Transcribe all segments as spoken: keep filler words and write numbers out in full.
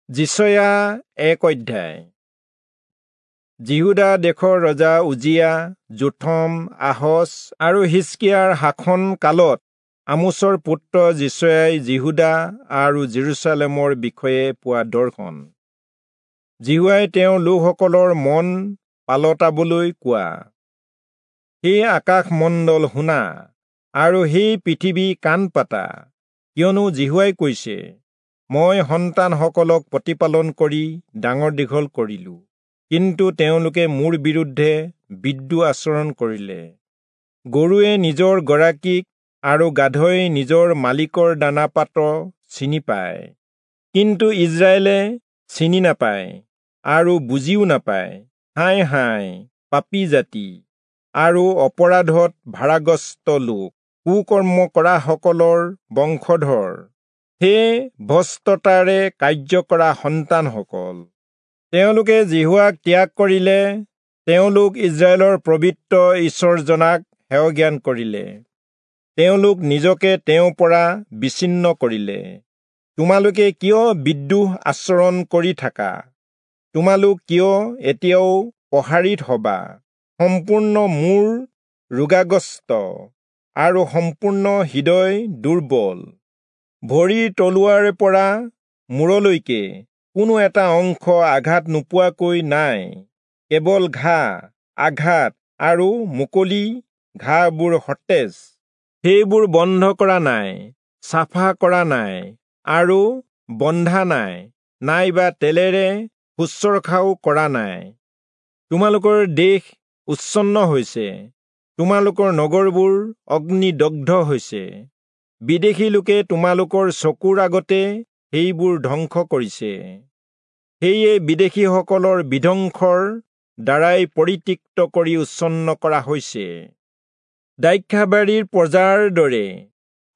যিচয়া এক অধ্যায়। যিহূদা দেশৰ ৰজা উজিয়া, যোথম, আহচ আৰু হিষ্কিয়াৰ শাসন কালত আমোচৰ পুত্ৰ যিচয়াই যিহূদা আৰু জেৰুচালেমৰ বিষয়ে পোৱা দৰ্শন। যিহোৱাই তেওঁৰ লোকসকলৰ মন পালটাবলৈ কোৱা, হে আকাশমণ্ডল শুনা আৰু হে পৃথিৱী কাণ পাতা, কিয়নো যিহোৱাই কৈছে, মই সন্তানসকলক প্ৰতিপালন কৰি ডাঙৰ দীঘল কৰিলো, কিন্তু তেওঁলোকে মোৰ বিৰুদ্ধে বিদ্ৰোহ আচৰণ কৰিলে। গৰুৱে নিজৰ গৰাকীক আৰু গাধই নিজৰ মালিকৰ দানা পাত্ৰ চিনি পায়, কিন্তু ইস্ৰায়েলে চিনি নাপায় আৰু বুজিও নাপায়। হায় হায় পাপী জাতি আৰু অপৰাধত ভাৰাগ্ৰস্ত লোক, কুকৰ্ম কৰাসকলৰ বংশধৰ, হে ভ্ৰষ্টতাৰে কাৰ্য কৰা সন্তানসকল! তেওঁলোকে যিহোৱাক ত্যাগ কৰিলে, তেওঁলোক ইস্ৰায়েলৰ পবিত্ৰ ঈশ্বৰজনাক হেয়জ্ঞান কৰিলে, তেওঁলোক নিজকে তেওঁৰ পৰা বিচ্ছিন্ন কৰিলে। তোমালোকে কিয় বিদ্ৰোহ আচৰণ কৰি থাকা? তোমালোক কিয় এতিয়াও প্ৰহাৰিত হবা? সম্পূৰ্ণ মূৰ ৰোগাগ্ৰস্ত আৰু সম্পূৰ্ণ হৃদয় দুৰ্বল। ভৰিৰ তলুৱাৰ পৰা মূৰলৈকে কোনো এটা অংশ আঘাত নোপোৱাকৈ নাই, কেৱল ঘা, আঘাত আৰু মুকলি ঘাবোৰ সতেজ। সেইবোৰ বন্ধ কৰা নাই, চাফা কৰা নাই আৰু বন্ধা নাই, নাইবা তেলেৰে শুশ্ৰূষাও কৰা নাই। তোমালোকৰ দেশ উচ্ছন্ন হৈছে, তোমালোকৰ নগৰবোৰ অগ্নিদগ্ধ হৈছে। বিদেশী লোকে তোমালোকৰ চকুৰ আগতে সেইবোৰ ধ্বংস কৰিছে। সেয়ে বিদেশীসকলৰ বিধ্বংসৰ দ্বাৰাই পৰিত্যক্ত কৰি উচ্ছন্ন কৰা হৈছে। দ্ৰাক্ষাবাৰীৰ পজাৰ দৰে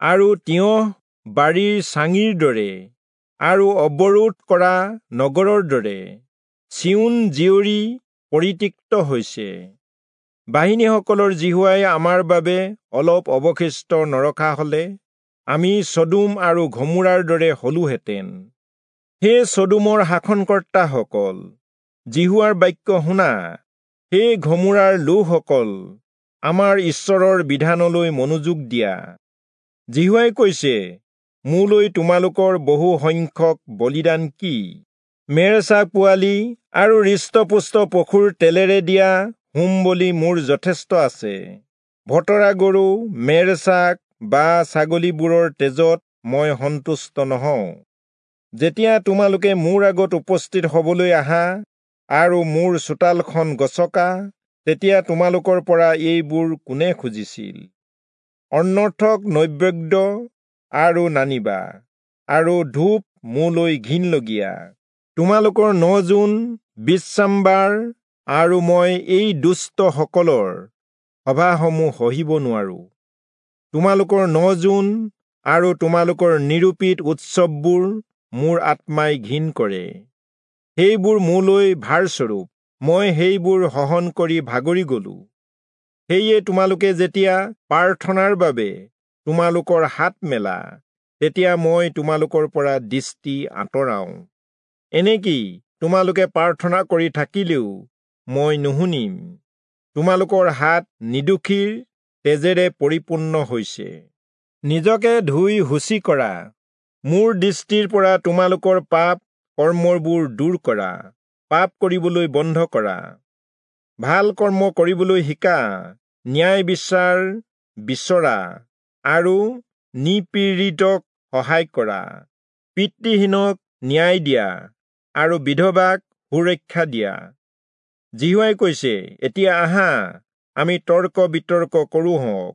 আৰু তিয়ঁহ বাৰীৰ চাঙিৰ দৰে আৰু অৱৰোধ কৰা নগৰৰ দৰে চিয়োন জীয়ৰী পৰিত্যক্ত হৈছে। বাহিনীসকলৰ যিহোৱাই আমাৰ বাবে অলপ অৱশিষ্ট নৰখা হলে আমি চদোম আৰু ঘমোৰাৰ দৰে হলোহেঁতেন। হে চদোমৰ শাসনকৰ্তাসকল, যিহোৱাৰ বাক্য শুনা। হে ঘমোৰাৰ লোকসকল, আমাৰ ঈশ্বৰৰ বিধানলৈ মনোযোগ দিয়া। যিহোৱাই কৈছে, মোলৈ তোমালোকৰ বহু সংখ্যক বলিদান কি? মেৰ-ছাগ পোৱালি আৰু হৃষ্টপুষ্ট পশুৰ তেলেৰে দিয়া হোম বলি মোৰ যথেষ্ট আছে। ভতৰা গৰু, মেৰ-ছাগ বা ছাগলীবোৰৰ তেজত মই সন্তুষ্ট নহওঁ। যেতিয়া তোমালোকে মোৰ আগত উপস্থিত হবলৈ আহা আৰু মোৰ চোতালখন গচকা, তেতিয়া তোমালোকৰ পৰা এইবোৰ কোনে খুজিছিল? অনৰ্থক নৈবেদ্য আৰু নানিবা, আৰু ধূপ মোলৈ ঘিণলগীয়া। তোমালোকৰ ন-জোন, বিশ্ৰামবাৰ আৰু মই এই দুষ্টসকলৰ সভাসমূহ সহিব নোৱাৰো। তোমালোকৰ ন-জোন আৰু তোমালোকৰ নিৰূপিত উৎসৱবোৰ মোৰ আত্মাই ঘিণ কৰে। সেইবোৰ মোলৈ ভাৰস্বৰূপ, মই সেইবোৰ সহন কৰি ভাগৰি গলো। সেয়ে তোমালোকে যেতিয়া প্ৰাৰ্থনাৰ বাবে তোমালোকৰ হাত মেলা, তেতিয়া মই তোমালোকৰ পৰা দৃষ্টি আঁতৰাওঁ। এনেকি তোমালোকে প্ৰাৰ্থনা কৰি থাকিলেও মই নুশুনিম। তোমালোকৰ হাত নিৰ্দোষীৰ তেজেৰে পৰিপূৰ্ণ হৈছে। নিজকে ধুই শুচি কৰা, মোৰ দৃষ্টিৰ পৰা তোমালোকৰ পাপ কৰ্মবোৰ দূৰ কৰা, পাপ কৰিবলৈ বন্ধ কৰা, ভাল কৰ্ম কৰিবলৈ শিকা, ন্যায় বিচাৰ বিচৰা আৰু নিপীড়িতক সহায় কৰা, পিতৃহীনক ন্যায় দিয়া আৰু বিধৱাক সুৰক্ষা দিয়া। যিহোৱাই কৈছে, এতিয়া আহা, আমি তৰ্ক বিতৰ্ক কৰোঁ হওক।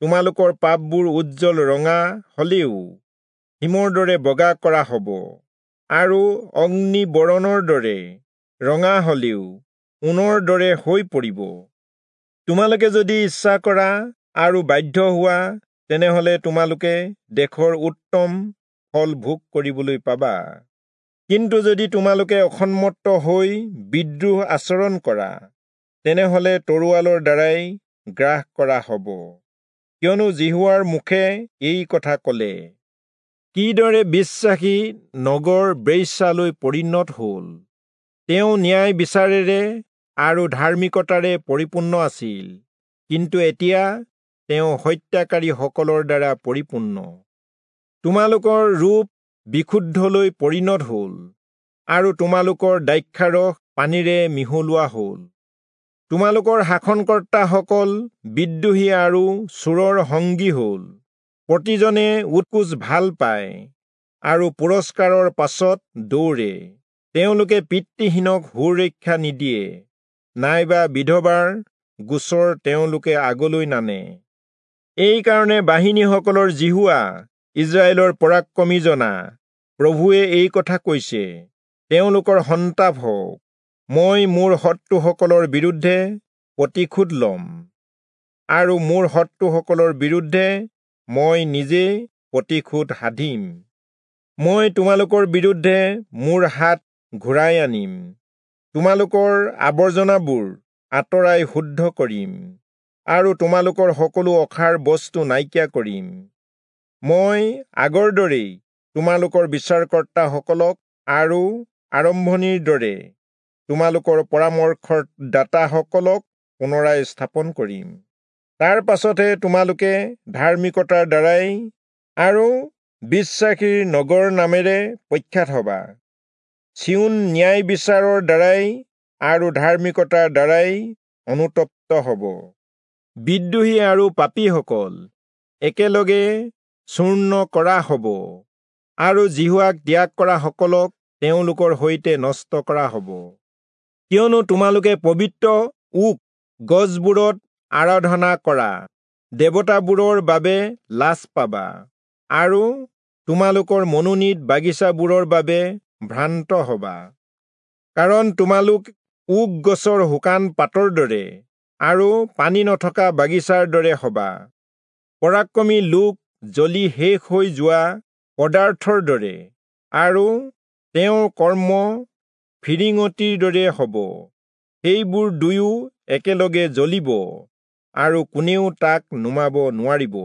তোমালোকৰ পাপবোৰ উজ্জ্বল ৰঙা হলেও হিমৰ দৰে বগা কৰা হব, আৰু অগ্নিবৰণৰ দৰে ৰঙা হলেও ঊণৰ দৰে হৈ পৰিব। তোমালোকে যদি ইচ্ছা কৰা আৰু বাধ্য হোৱা, তেনেহলে তোমালোকে দেশৰ উত্তম ফল ভোগ কৰিবলৈ পাবা। কিন্তু যদি তোমালোকে অসন্মত হৈ বিদ্ৰোহ আচৰণ কৰা, তেনেহলে তৰোৱালৰ দ্বাৰাই গ্ৰাস কৰা হব, কিয়নো যিহোৱাৰ মুখে এই কথা কলে। কিদৰে বিশ্বাসী নগৰ বেশ্যালৈ পৰিণত হ'ল! তেওঁ ন্যায় বিচাৰেৰে আৰু ধাৰ্মিকতাৰে পৰিপূৰ্ণ আছিল, কিন্তু এতিয়া তেওঁ হত্যাকাৰীসকলৰ দ্বাৰা পৰিপূৰ্ণ। তোমালোকৰ ৰূপ বিশুদ্ধলৈ পৰিণত হ'ল, আৰু তোমালোকৰ দ্ৰাক্ষাৰস পানীৰে মিহলোৱা হ'ল। তোমালোকৰ শাসনকৰ্তাসকল বিদ্ৰোহী আৰু চোৰৰ সংগী হ'ল। প্ৰতিজনে উৎকোচ ভাল পায় আৰু পুৰস্কাৰৰ পাছত দৌৰে। তেওঁলোকে পিতৃহীনক সুৰক্ষা নিদিয়ে, নাইবা বিধৱাৰ গোচৰ তেওঁলোকে আগলৈ নানে। এইকাৰণে বাহিনীসকলৰ যিহোৱা, ইস্ৰায়েলৰ পৰাক্ৰমীজনা প্ৰভুৱে এই কথা কৈছে, তেওঁলোকৰ সন্তাপ হওক। মই মোৰ শত্ৰুসকলৰ বিৰুদ্ধে প্ৰতিশোধ ল'ম, আৰু মোৰ শত্ৰুসকলৰ বিৰুদ্ধে মই নিজে প্ৰতিশোধ সাধিম। মই তোমালোকৰ বিৰুদ্ধে মোৰ হাত ঘূৰাই আনিম, তোমালোকৰ আৱৰ্জনাবোৰ আঁতৰাই শুদ্ধ কৰিম, আৰু তোমালোকৰ সকলো অসাৰ বস্তু নাইকিয়া কৰিম। মই আগৰ দৰেই তোমালোকৰ বিচাৰকৰ্তাসকলক আৰু আৰম্ভণিৰ দৰে তোমালোকৰ পৰামৰ্শদাতাসকলক পুনৰাই স্থাপন কৰিম। তাৰ পাছতহে তোমালোকে ধাৰ্মিকতাৰ দ্বাৰাই আৰু বিশ্বাসীৰ নগৰ নামেৰে প্ৰখ্যাত হবা। চিয়োন ন্যায় বিচাৰৰ দ্বাৰাই আৰু ধাৰ্মিকতাৰ দ্বাৰাই অনুতপ্ত হ'ব। বিদ্ৰোহী আৰু পাপীসকল একেলগে চূৰ্ণ কৰা হ'ব, আৰু যিহোৱাক ত্যাগ কৰাসকলক তেওঁলোকৰ সৈতে নষ্ট কৰা হ'ব। কিয়নো তোমালোকে পবিত্ৰ ওক গছবোৰত আৰাধনা কৰা দেৱতাবোৰৰ বাবে লাজ পাবা, আৰু তোমালোকৰ মনোনীত বাগিচাবোৰৰ বাবে ভ্ৰান্ত হবা। কাৰণ তোমালোক ওক গছৰ শুকান পাতৰ দৰে আৰু পানী নথকা বাগিচাৰ দৰে হবা। পৰাক্ৰমী লোক জ্বলি শেষ হৈ যোৱা পদাৰ্থৰ দৰে, আৰু তেওঁৰ কৰ্ম ফিৰিঙতিৰ দৰে হ'ব। সেইবোৰ দুয়ো একেলগে জ্বলিব, আৰু কোনেও তাক নুমাব নোৱাৰিব।